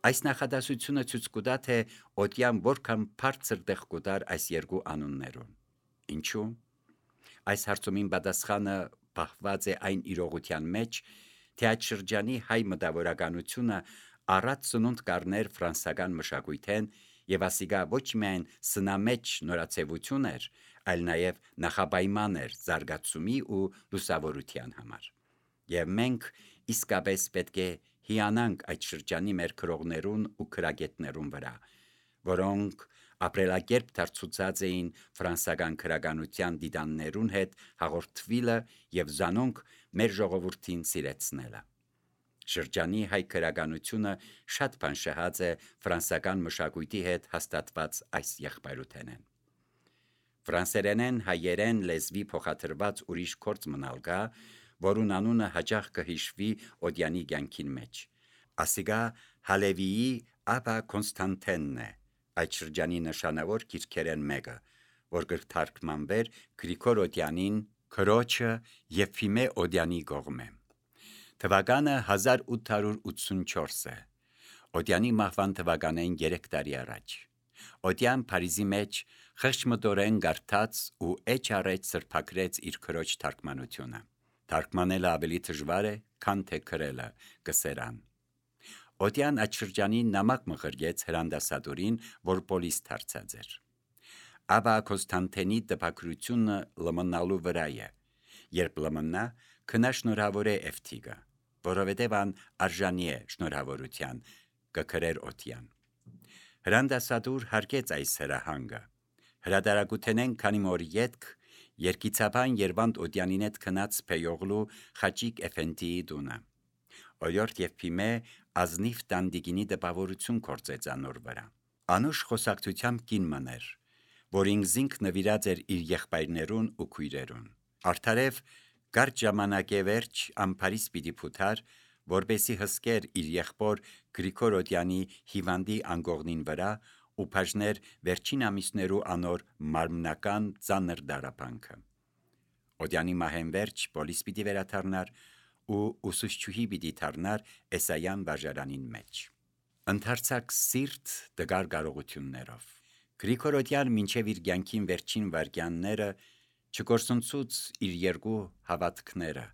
Այս նախադասությունը ցույց կտա, թե Օդյան որքան բարձր տեղ կտար այս երկու անուններուն։ Ինչու՞։ Այս հարցումին պատասխանը պահված է այն իրողության մեջ, թե այդ շրջանի հայ մտավորականությունը առած սնունդ կառներ ֆրանսական մշակույթեն եւ ասիգա ոչ միայն սնամեջ նորացեվություն էր, այլ նաեւ նախապայման էր զարգացումի ու լուսավորության համար։ Եվ մենք իսկապես պետք է հիանանք այդ շրջանի մեր քրողներուն ու քրագետներուն վրա, որոնք ապրելակերպ դարձուցած էին ֆրանսական քրագանության դիդաններուն հետ հաղորդվիլը եւ զանոնք մեր ժողովրդին սիրեցնելը։ Շրջանի հայ քրագանությունը շատ բան շահած է ֆրանսական մշակույթի հետ հաստատված այս եղբայրութենեն։ Ֆրանսերենեն հայերեն լեզվի փոխադրված ուրիշ գործ մնալ կա, որուն անունը հաճախ կհիշվի Օդյանի կյանքին մեջ։ Ասիգա Հալևիի Աբա Կոնստանտենն է, այդ շրջանի նշանավոր գիրքերեն մեկը, որ կթարգմանվեր Գրիգոր Օդյանին քրոջը Եփիմե Օդյանի կողմէ։ Թվականը 1884 է։ Օդյանի մահվան թվականին 3 տարի առաջ։ Օդյան Փարիզի մեջ խեղճմտորեն գարթած ու էջ առեջ սրբակրեց իր քրոջ թարգմանությունը։ Թարգմանելը ավելի դժվար է, քան թե գրելը, կսերան։ Օդյան այդ շրջանին նամակ մղրգեց հրանդասատորին, որ պոլիս դարձած էր։ Աբա Կոնստանտինի տպագրությունը լմնալու վրա է, երբ լմնա, քնա շնորհավոր է Էվթիգը, որովհետև ան արժանի է շնորհավորության, կգրեր Օդյան։ Հրանդասատուր հարգեց այս հրահանգը։ Հրադարակութենեն քանի մոր ետք երկիցաբան Երվանդ Օդյանին հետ քնած Փեյողլու Խաչիկ Էֆենդիի դունը։ Օրյորդ Եփիմե ազնիվ տանդիկինի դպավորություն կործեց անոր վրա։ Անուշ խոսակցությամբ կին մներ, որ ինքզինք նվիրած էր իր եղբայրներուն ու քույրերուն։ Արդարև կարճ ժամանակե վերջ ամփարիս պիտի փութար, որբեսի հսկեր իր եղբոր Գրիգոր Օդյանի հիվանդի անգողնին վրա ու բաժներ վերջին ամիսներու անոր մարմնական ծանր դարապանքը։ Օդյանի մահեն վերջ պոլիս պիտի վերաթարնար ու ուսուցչուհի պիտի թարնար Էսայան վարժարանին մեջ։ Ընթարցակ սիրտ դգար կարողություններով։ Գրիգոր Օդյան մինչև իր կյանքին վերջին վայրկյանները չկորսնցուց իր երկու հավատքները,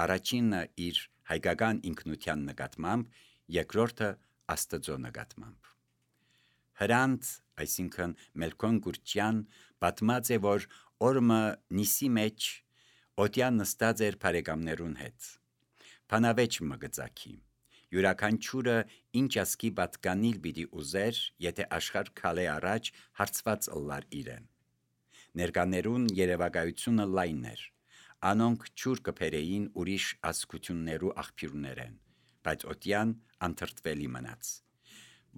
առաջինը իր հայկական ինքնության նկատմամբ, երկրորդը Աստծո նկատմամբ։ Հրանտ, այսինքն Մելքոն Գուրչյան, պատմած է, որ օրմը նիսի մեջ Օդյան նստած էր բարեկամներուն հետ։ Փանավեճ մգծակի։ Յուրաքանչյուրը ինչ ասկի պատկանիլ պիտի ուզեր, եթե աշխարհ քալե առաջ հարցված ըլլար իրեն։ Ներկաներուն երևակայությունը լայն էր։ Անոնք ճուր կփերեին ուրիշ ասկություններու աղբյուրներեն, բայց Օդյան անթրթվելի մնաց։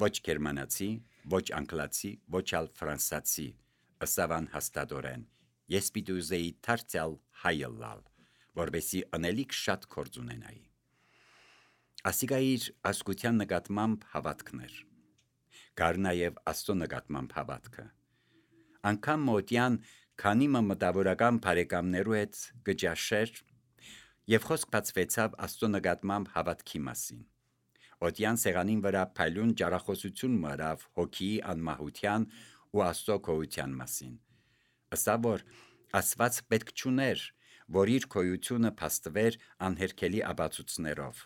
Ոչ գերմանացի, ոչ անգլացի, ոչ ալ ֆրանսացի, ըսավան հաստատորեն, ես պիտի ուզեի դարձյալ հայ ըլլալ, որբեսի անելիք շատ գործ ունենայի։ Ասիգա իր ասկության նկատմամբ հավատքներ։ Կար նաև Աստծո նկատմամբ հավատքը։ Անկամ Օդյան քանի մտավորական բարեկամներու հետ գճաշեր եւ խոսք բացվեցավ Աստծո նկատմամբ հավատքի մասին։ Օդյան սեղանին վրա փայլուն ճարախոսություն մարավ հոգիի անմահության ու Աստծո գոյության մասին։ Ըսա որ Աստված պետք չուներ, որ իր գոյությունը փաստվեր անհերքելի աբացույցներով։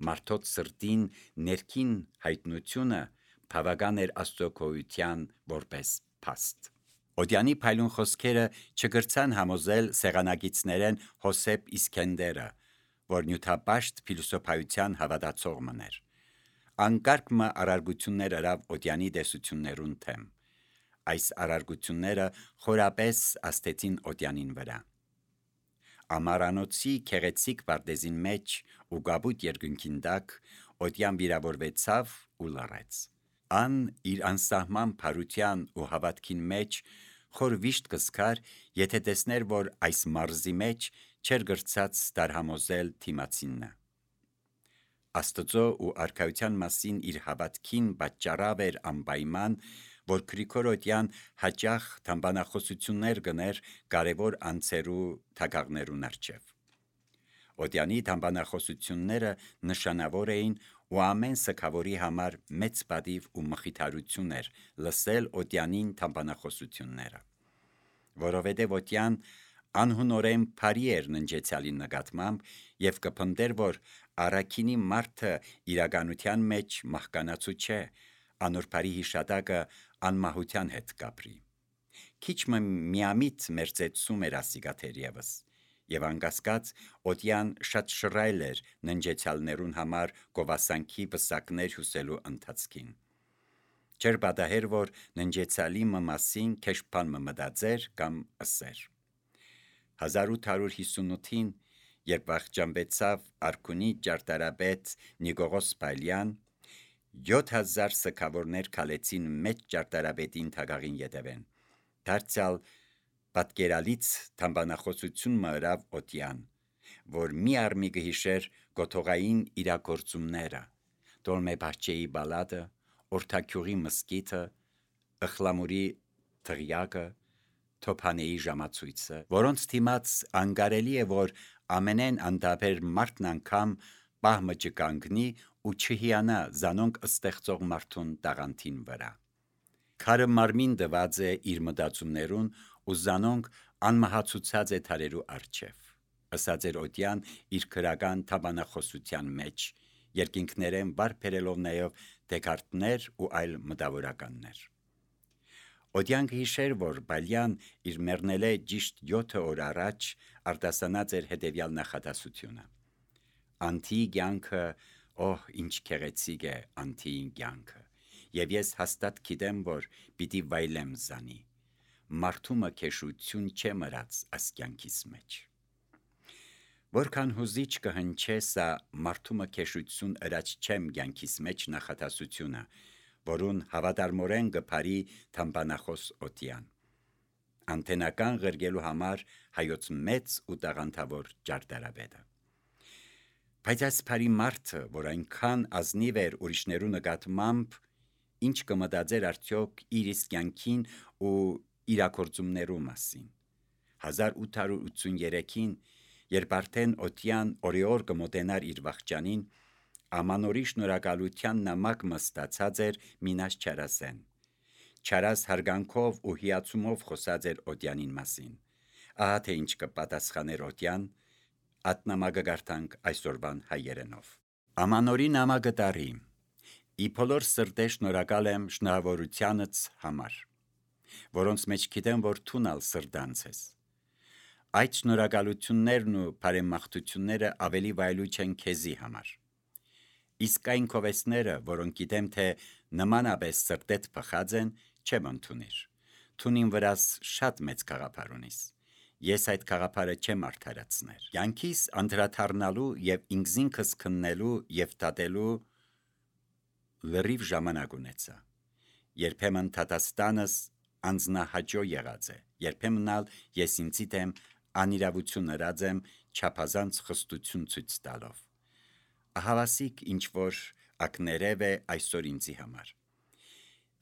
Մարդոց սրտին ներքին հայտնությունը բավական էր Աստծո գոյության որպես փաստ։ Օդյանի փայլուն խոսքերը չգրցան համոզել սեղանագիցներեն Հոսեփ Իսկենդերը, որ նյութապաշտ փիլիսոփայության հավատացող մներ։ Անկարգ արարգություններ արավ Օդյանի տեսություններուն թեմ։ Այս արարգությունները խորապես աստեցին Օդյանին վրա։ Ամարանոցի քեղեցիկ պարտեզին մեջ ու գաբուտ երկնքին տակ Օդյան վիրավորվեցավ ու լռեց։ Ան իր անսահման փարության ու հավատքին մեջ խոր վիշտ կսկար, եթե տեսներ, որ այս մարզի մեջ չեր գրծած դարհամոզել թիմացինը։ Աստծո ու արքայության մասին իր հավատքին պատճառավ էր անպայման, որ Գրիգոր Օդյան հաճախ թամբանախոսություններ գներ կարևոր անձերու թագաղներուն առջև։ Օդյանի թամբանախոսությունները նշանավոր էին ու ամեն սքավորի համար մեծ պատիվ ու մխիթարություն էր լսել Օդյանին թամբանախոսությունները, որովհետև Օդյան անհունորեն բարի էր ննջեցյալի նկատմամբ եւ կփնտեր, որ առաքինի մարդը իրականության մեջ մահկանացու չէ, անոր բարի հիշատակը անմահության հետ կապրի։ Քիչ միամիտ մերձեցում էր ասիգա թերևս, եւ անկասկած Օդյան շատ շռայլ էր ննջեցյալներուն համար գովասանքի վսակներ հյուսելու ընթացքին։ Չէր պատահեր, որ ննջեցյալի մասին քեշփան մտածեր կամ ըսեր։ 1858-ին, երբ վախճանվեցավ Արքունի ճարտարապետ Նիկողոս Փալյան, 7000 սքավորներ քալեցին մեծ ճարտարապետին թագաղին ետևեն։ Դարձյալ պատկերալից թամբանախոսություն մըրավ Օդյան, որ մի արմի կհիշեր գոթողային իրագործումները, Տոլմե Բահչեի բալադը, Օրթաքյուղի մզկիթը, Ըխլամուրի թղյակը, Թոփանեի ժամացույցը, որոնց թիմաց անկարելի է, որ ամենեն անդաբեր մարդն անգամ պահմը չկանգնի ու չհիանա զանոնք ստեղծող մարդուն տաղանդին վրա։ Քարը մարմին դված է իր մտածումներուն ու զանոնք անմահացուցած է թարերու առջև, ըսած էր Օդյան իր քրական թամբանախոսության մեջ, երկինքներեն վարբերելով նաև Դեկարտներ ու այլ մտավորականներ։ Օդյան կհիշեր, որ Փալյան իր մեռնելե ճիշտ 7 օր առաջ արտասանած էր հետևյալ նախադասությունը. «Անթիի կյանքը, օհ, ինչ քեղեցիկ է անթիի կյանքը, եւ ես հաստատ գիտեմ, որ պիտի վայելեմ զանի, մարդումը քեշություն չէ մրած աս կյանքիս մեջ»։ Որքան հուզիչ կհնչե սա մարդումը քեշություն ըրած չեմ կյանքիս մեջ նախադասությունը, որուն հավատարմորեն կփարի թամբանախոս Օդյան, անթենական ղրգելու համար հայոց մեծ ու տաղանդավոր ճարտարապետը։ Բայց այս բարի մարդը, որ այնքան ազնիվ էր ուրիշներու նկատմամբ, ինչ կմտածեր արդյոք իր իսկ կյանքին ու իրագործումներու մասին։ 1883-ին, երբ արդեն Օդյան օրիօր կմոտենար իր վախճանին, ամանորի շնորհակալության նամակ մստացած էր Մինաս Չարասեն։ Չարաս հարգանքով ու հիացումով խոսած էր Օդյանին մասին։ Ահա թե ինչ կպատասխաներ Օդյան, ատնամակը գարտանք այսօրվան հայերենով։ Ամանորի նամակը տարի։ Ի բոլոր սրտե շնորհակալ եմ շնորհավորությանց համար, որոնց մեջ գիտեմ, որ թունալ սրտանց ես։ Այդ շնորհակալություններն ու բարեմաղթությունները ավելի վայելուչ են քեզի համար։ Իսկ այն քովեսները, որոնք գիտեմ, թե նմանապես սրտետ փխած են, չեմ ընդունիր։ Թունին վրաս շատ մեծ գաղափար ունիս։ Ես այդ գաղափարը չեմ արդարացներ։ Յանքիս անդրադառնալու եւ ինքզինքս քննելու եւ դատելու լրիվ ժամանակ ունեցա։ Երբեմն դատաստանս անձնահաճո եղած է, երբեմն ալ ես ինձի դեմ անիրավություն ըրած եմ չափազանց խստություն ցույց տալով։ Ահավասիկ ինչ որ ակներև է այսօր ինձի համար։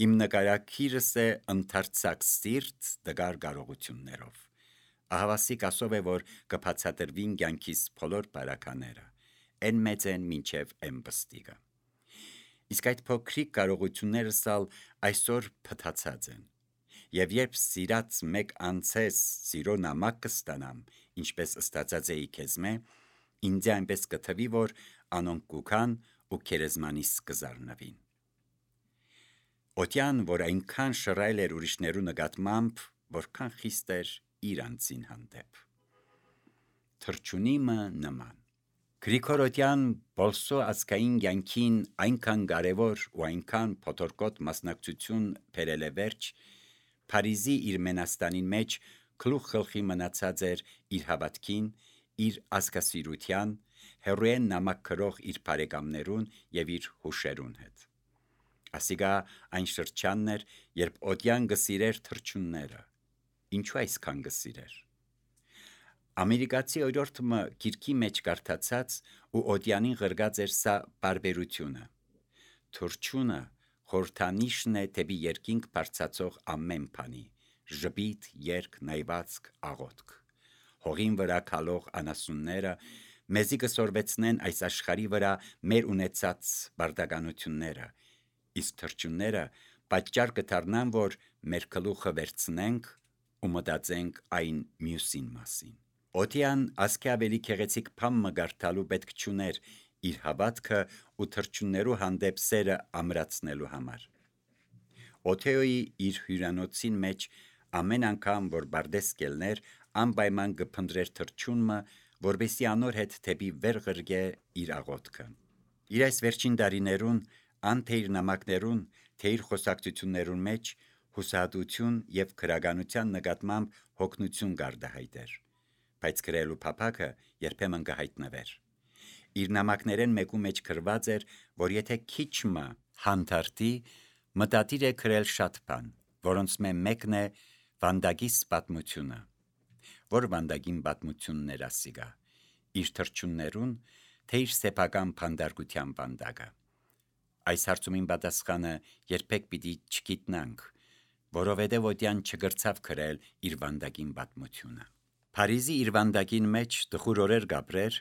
Իմ նկարակիրս է ընդարձակ սիրտ դգար կարողություններով։ Ահավասիկ ասով է, որ կբացատրվին կյանքիս բոլոր բարակաները, են մեծ են մինչև էմբստիգը։ Իսկ այդ փոքրիկ կարողություններս ալ այսօր փթացած են։ Եվ երբ սիրած մեկ անցես սիրո նամակ կստանամ, ինչպես ստացած էի քեզմե, ինձ այնպես կթվի, որ անոնք կուքան ու քերեզմանիս կզարնվին։ Օդյան, որ այնքան շռայլ էր ուրիշներու նկատմամբ, որքան խիստ էր իր անձին հանդեպ։ Թրջունիմը նման։ Գրիգոր Օդյան բոլսո ազգային կյանքին այնքան կարևոր ու այնքան փոթորկոտ մասնակցություն բերել է վերջ, Փարիզի իր մենաստանին մեջ գլուխ խլխի մնացած էր իր հավատքին, իր ազգասիրության, հերոեն նամակ գրող իր բարեկամներուն եւ իր հուշերուն հետ։ Ասիգա այն շրջանն էր, երբ Օդյան գսիրեր թրջունները։ Ինչու այսքան գսիրեր։ Ամերիկացի օրորդը գիրքի մեջ կարդացած ու Օդյանին ղրգած էր սա բարբերությունը։ Թրջունը խորհրդանիշն է դեպի երկինք բարձացող ամեն բանի, ժպիտ, երկ, նայվածք, աղոթք։ Հողին վրա քալող անասունները մեզի կսորվեցնեն այս աշխարհի վրա մեր ունեցած բարդականությունները, իսկ թրջունները պատճառ կդառնան, որ մեր գլուխը վերցնենք ու մտածենք այն մյուսին մասին։ Օթյան ասքի ավելի քեղեցիկ բան մգարտալու պետք չուներ իր հավատքը ու թրջուններու հանդեպ սերը ամրացնելու համար։ Օթեոյի իր հյուրանոցին մեջ ամեն անգամ, որ բարդես կելներ, անպայման կփնտրեր թրջունը, որպեսզի անոր հետ թեպի վեր ղրգե իր աղոթքը։ Իր այս վերջին տարիներուն, ան թե իր նամակներուն, թե իր խոսակցություններուն մեջ հուսահատություն եւ քրագանության նկատմամբ հոգնություն գարդահայտեր, բայց գրելու փափակը երբեմն կհայտնվեր։ Իր նամակներեն մեկու մեջ գրված էր, որ եթե քիչը հանդարտի, մտադիր է գրել շատ բան, որոնց մեկն է Վանդագիս պատմությունը, որ Վանդագին պատմությունն էր ասիգա, իր թրջուններուն, թե իր սեփական փանդարգության վանդակը։ Այս հարցումին պատասխանը երբեք պիտի չգիտնանք, որովհետև Օթյան չգրցավ գրել իր Վանդագին պատմությունը։ Փարիզի իր Վանդագին մեջ տխուր օրեր գաբրեր,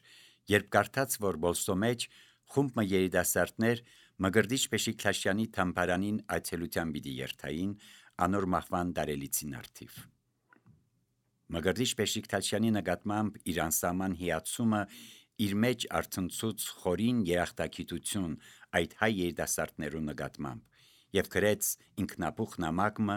երբ կարդաց, որ Բոլսո մեջ խումբ երիտասարդներ Մկրտիչ Փեշիկ Թաշյանի թամբարանին այցելության պիտի երթային անոր մահվան տարելիցին արդիվ։ Մկրտիչ Փեշիկ Թաշյանի նկատմամբ իր անսահման հիացումը իր մեջ արցնցուց խորին երախտագիտություն այդ հայ երիտասարդներու նկատմամբ եւ գրեց ինքնաբուխ նամակը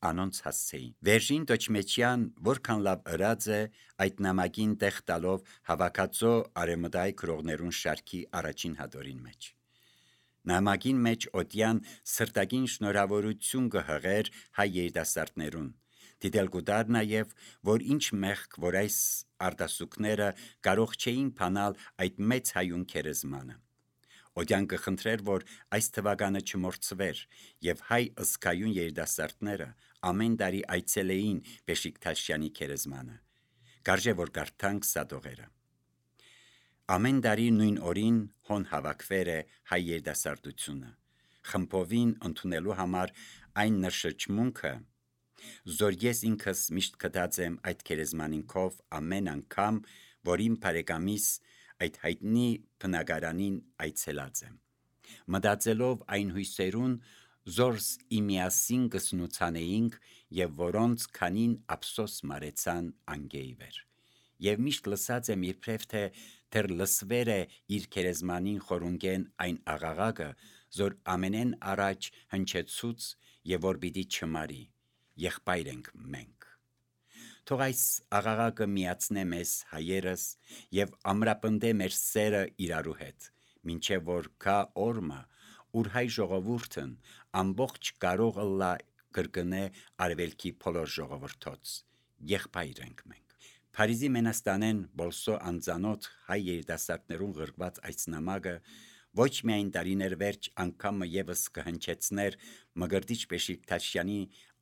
անոնց հասցեին։ Վերժին Տոչմեչյան որքան լավ ըրած է այդ նամակին տեղ տալով հավաքածո արեմտայ գրողներուն շարքի առաջին հատորին մեջ։ Նամակին մեջ Օթյան սրտագին շնորհավորություն կհղեր հայ երիտասարդներուն, դիտել կուտար նաև, որ ինչ մեղք, որ այս արտասուքները կարող չէին փանալ այդ մեծ հայուն քերեզմանը։ Օթյան կխնդրեր, որ այս թվականը չմոռցվեր, եւ հայ ըսկայուն երիտասարդները ամեն տարի այցելեին Փեշիկ Թաշյանի քերեզմանը։ Կարժե որ կարդանք սադողերը։ Ամեն տարի նույն օրին հոն հավաքվեր է հայ երիտասարդությունը, խմբովին ընդունելու համար այն նշճմունքը, զոր ես ինքս միշտ կտած եմ այդ քերեզմանինքով ամեն անգամ, որ իմ բարեկամիս այդ հայտնի բնակարանին այցելած եմ, մտածելով այն հույսերուն, զորս իմիասին կսնուցանեինք եւ որոնց քանին ափսոս մարեցան անգեիվեր։ Եվ միշտ լսած եմ իբրև թե դեռ լսվեր է իր քերեզմանին խորունգեն այն աղաղակը, զոր ամենեն առաջ հնչեցուց եւ որ պիտի չմարի, եղբայր ենք մենք։ Թող այս աղաղակը միացնե մեզ հայերս եւ ամրապնդե մեր սերը իրարու հետ, մինչեւ որ կա օրը, ուր հայ ժողովուրդն ամբողջ կարող ըլլա կրկնե արևելքի բոլոր ժողովրդոց, եղբայր ենք մենք։ Փարիզի Մենաստանեն Բոլսո անծանոթ հայ երիտասարդներուն գրված այս նամակը ոչ միայն տարիներ վերջ անգամը եւս կհնչեցներ Մկրտիչ Փեշիկ Թաշյանի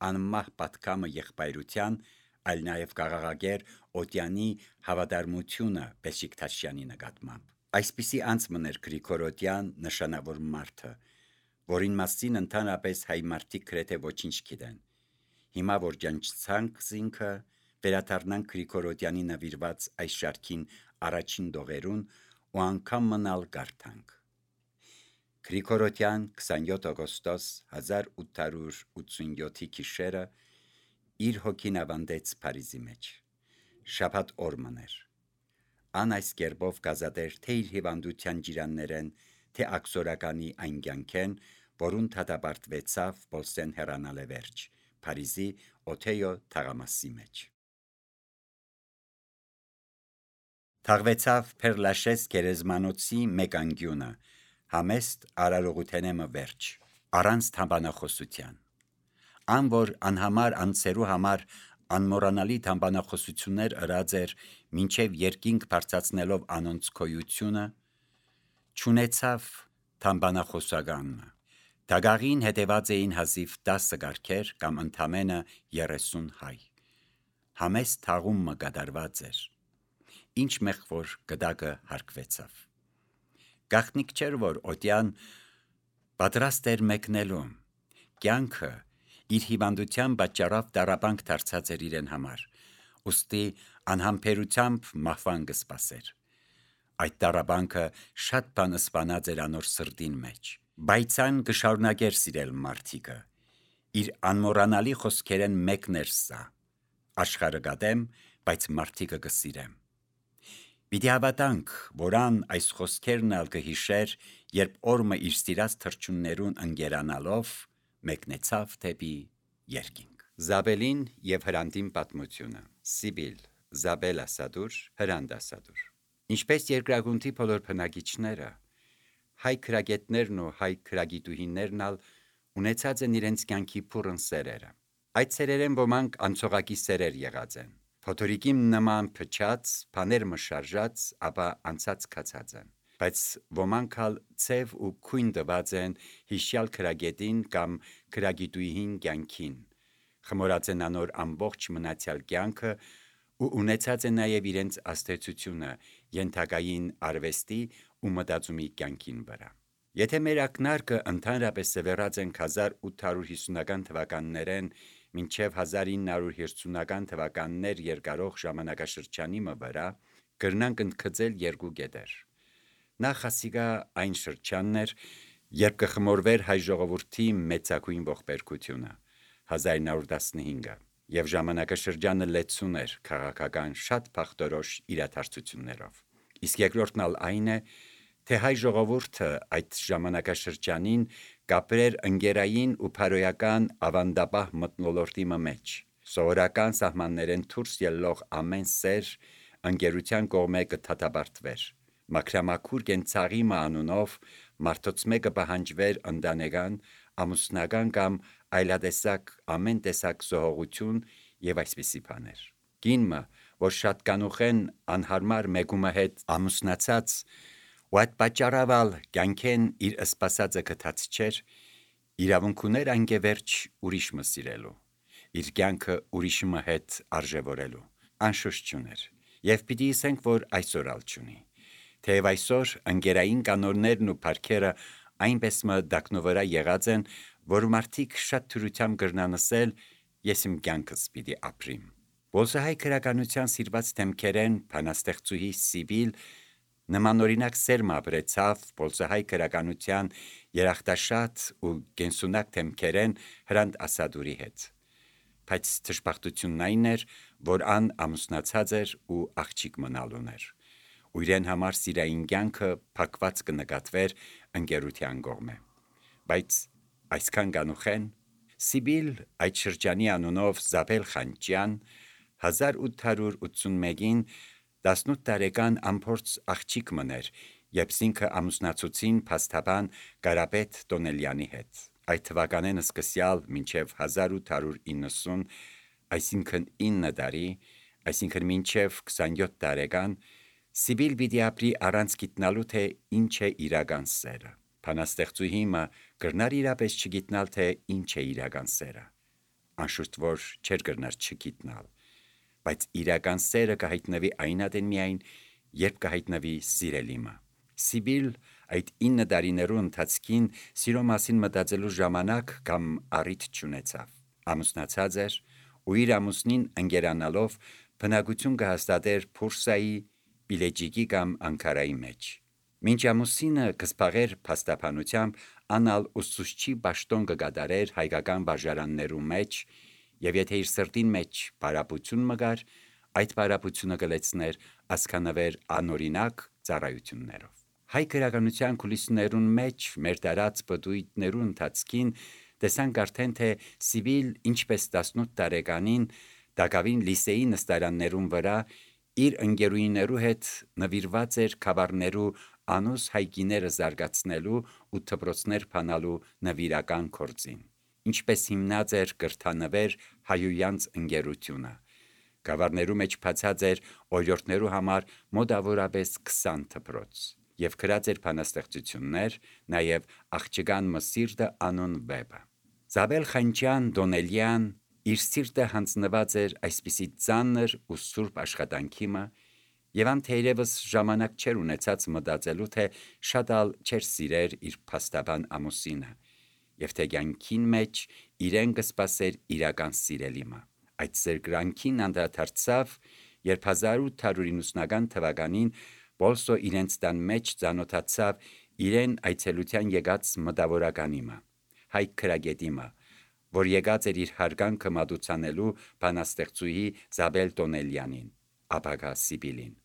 անմահ պատկամը եղբայրության, այլ նաեւ կաղաղակեր Օթյանի հավատարմությունը Փեշիկ Թաշյանի նկատմամբ։ Այսպիսի անցմներ Գրիգոր Օթյան նշանավոր մարդը, որին մասին ընդհանրապես հայ մարդիկ գրեթե ոչինչ գիտեն։ Հիմա որ ջանչցանք զինքը վերադառնանք Գրիգոր Օթյանի նվիրված այս շարքին առաջին դողերուն ու անգամ մնալ կարդանք։ Գրիգոր Օթյան 27 օգոստոս 1887 գիշերը իր հոգին ավանդեց Փարիզի մեջ։ Շաբաթ օրմն էր։ Ան այս կերպով գազադեր թե իր հիվանդության ջիրաններեն, թե աքսորականի այն կյանքեն, որուն դատապարտվեցավ Բոլսեն հեռանալ է վերջ, Փարիզի Օթեյո թաղամասի մեջ։ Թաղվեցավ Փերլաշես գերեզմանոցի մեկ անկյունը, համեստ արարողութենեմը վերջ, առանց թամբանախոսության։ Ան որ անհամար անձերու համար անմոռանալի թամբանախոսություններ ըրած էր, մինչև երկինք բարձրացնելով անոնց քոյությունը, չունեցավ թամբանախոսականը։ Դագաղին հետևած էին հազիվ 10 կարգեր կամ ընդամենը 30 հայ։ Համեստ թաղումը կատարված էր։ Ինչ մեղ որ գդակը հարկվեցավ։ Գաղտնիք չէր, որ Օթյան պատրաստ էր մեկնելու։ Կյանքը իր հիվանդության պատճառով տառապանք դարձած էր իրեն համար, ուստի անհամբերությամբ մահվան կսպասեր։ Այդ տառաբանքը շատ բան սպանած էր անոր սրտին մեջ, բայց այն կշարունակեր սիրել մարդիկը։ Իր անմոռանալի խոսքերեն մեկն էր սա. աշխարհը գադեմ, բայց մարդիկը կսիրեմ։ Պիտի հավատանք, որ ան այս խոսքերն ալ կհիշեր, երբ օրը իր սիրած թրջուններուն ընկերանալով մեկնեցավ դեպի երկինք։ Զաբելին եւ Հրանդին պատմությունը։ Սիբիլ, Զաբել ասադուր, Հրանդ ասադուր։ Ինչպես երկրագունտի բոլոր բնակիչները, հայ քրագետներն ու հայ քրագիտուհիներն ալ ունեցած են իրենց կյանքի փուրն սերերը։ Այդ սերերեն ոմանք անցողակի սերեր եղած են։ Փոթորիկին նման փչած, բաներ մշարժած, ապա անցած կացած են։ Բայց ոմանք ալ ցև ու քույն տված են հիշյալ քրագետին կամ քրագիտուհին կյանքին, խմորած են անոր ամբողջ մնացյալ կյանքը ու ունեցած են նաև իրենց աստեցությունը ենթակային արվեստի ու մտածումի կյանքին վրա։ Եթե մեր ակնարկը ընդհանրապես սևեռած ենք 1850-ական թվականներեն մինչև 1950-ական թվականներ երկարող ժամանակաշրջանի վրա, կրնանք ընդգծել երկու կետեր։ Նախ ասիկա այն շրջանն էր, երբ կխմորվեր հայ ժողովրդի մեծագույն ողբերգությունը 1915-ը, եւ ժամանակաշրջանը լեցուն էր քաղաքական շատ փախտորոշ իրադարձություններով։ Իսկ երկրորդն ալ այն է, թե հայ ժողովուրդը այդ ժամանակաշրջանին կապրեր ընկերային ու փարոյական ավանդապահ մթնոլորտի մեջ, սովորական սահմաններեն դուրս ելող ամեն սեր ընկերության կողմէ կդատապարտվեր, մաքրամաքուր կենցաղի անունով մարդոց մեկը պահանջվեր ընտանեկան, ամուսնական կամ այլատեսակ ամեն տեսակ զոհողություն եւ այսպիսի բաներ։ Կինը, որ շատ կանուխեն անհարմար մեկումը հետ ամուսնացած ու այդ պատճառավալ կյանքեն իր սպասածը գտած չէր, իրավունք ուներ անգևերջ ուրիշ մը սիրելու, իր կյանքը ուրիշի հետ արժևորելու, անշուշտ չուներ։ Եվ պիտի ասենք, որ այսօր ալ չունի։ Թեև այսօր ընկերային կանոններն ու փառքերը այնպես մը դակնովրա եղած են, որ մարդիկ շատ թյուրությամբ կրնանսել ես իմ կյանքս պիտի ապրիմ։ Բոլսահայ քրականության սիրված թեմքերեն բանաստեղծուհի Սիբիլ նմանօրինակ սերմ ապրեցավ բոլսահայ քրականության երախտաշատ ու կենսունակ թեմքերեն Հրանդ ասադուրի հետ։ Բայց դժբախտությունն այն էր, որ ան ամուսնացած էր ու աղջիկ մնալ ուներ, ու իրեն համար սիրային կյանքը փակված կնկատվեր ընկերության կողմէ։ Բայց այսքան կանուխեն Սիբիլ այդ շրջանի անունով Զաբել Խանջյան 1881-ին 18 տարեկան անփորձ աղջիկ մներ, երբ ինքը ամուսնացուցին փաստաբան Կարապետ Տոնելյանի հետ։ Այդ թվականեն սկսյալ մինչև 1890, այսինքն 9 տարի, այսինքն մինչև 27 տարեկան, Սիբիլ պիտի ապրի առանց գիտնալու, թե ինչ է իրական սերը։ Բանաստեղծուհի մը կրնար իրապես չգիտնալ, թե ինչ է իրական սերը։ Անշուշտ որ չէր կրնար չգիտնալ, բայց իրական սերը կհայտնվի այնադեն միայն, երբ կհայտնվի սիրելիմը։ Սիբիլ այդ 9 տարիներու ընթացքին սիրո մասին մտածելու ժամանակ կամ առիթ չունեցավ։ Ամուսնացած էր ու իր ամուսնին ընկերանալով բնակություն կհաստատեր Փուրսայի, Բիլեջիկի կամ Անկարայի մեջ։ Մինչ ամուսինը կսպաղեր փաստաբանությամբ, անալ ուսուցչի պաշտոն կգադարեր հայկական բաժարաններու մեջ, եւ եթե իր սրտին մեջ բարապություն մգար, այդ բարապությունը կլեցներ ասկանավեր անօրինակ ծառայություններով։ Հայ քրականության կուլիսներուն մեջ մեր տարած բդույթներու ընթացքին տեսանք արդեն, թե Սիբիլ ինչպես 18 տարեկանին Դակավին լիսեի նստարաններուն վրա իր ընկերուիներու հետ նվիրված էր խավարներու անուս հայկիները զարգացնելու ու դպրոցներ փանալու նվիրական գործին, ինչպես հիմնած էր կրթանվեր հայույանց ընկերությունը։ Խավարներու մեջ բացած էր օրիորդներու համար մոտավորապես 20 դպրոց եւ գրած էր բանաստեղծություններ, նաեւ աղջկան մսիրտը անուն վեպը։ Զաբել Խանջյան Դոնելյան իր սիրտը հանձնված էր այսպիսի ծանր ու սուրբ աշխատանքի մը, եւ ան թերևս ժամանակ չեր ունեցած մտածելու, թե շատ ալ չեր սիրեր իր փաստաբան ամուսինը, եւ թե կյանքին մեջ իրեն կսպասեր իրական սիրելիմը։ Այդ սերկրանքին անդրադարձավ, երբ 1890 թվականին Պոլսո իրենց տան մեջ ծանոթացավ իրեն այցելության եկած մտավորականիմը, Հայկ քրագետիմը, որ եկած էր իր հարգանքը մատուցանելու բանաստեղծուհի Զաբել Տոնելյանին, ապագա Սիբիլին։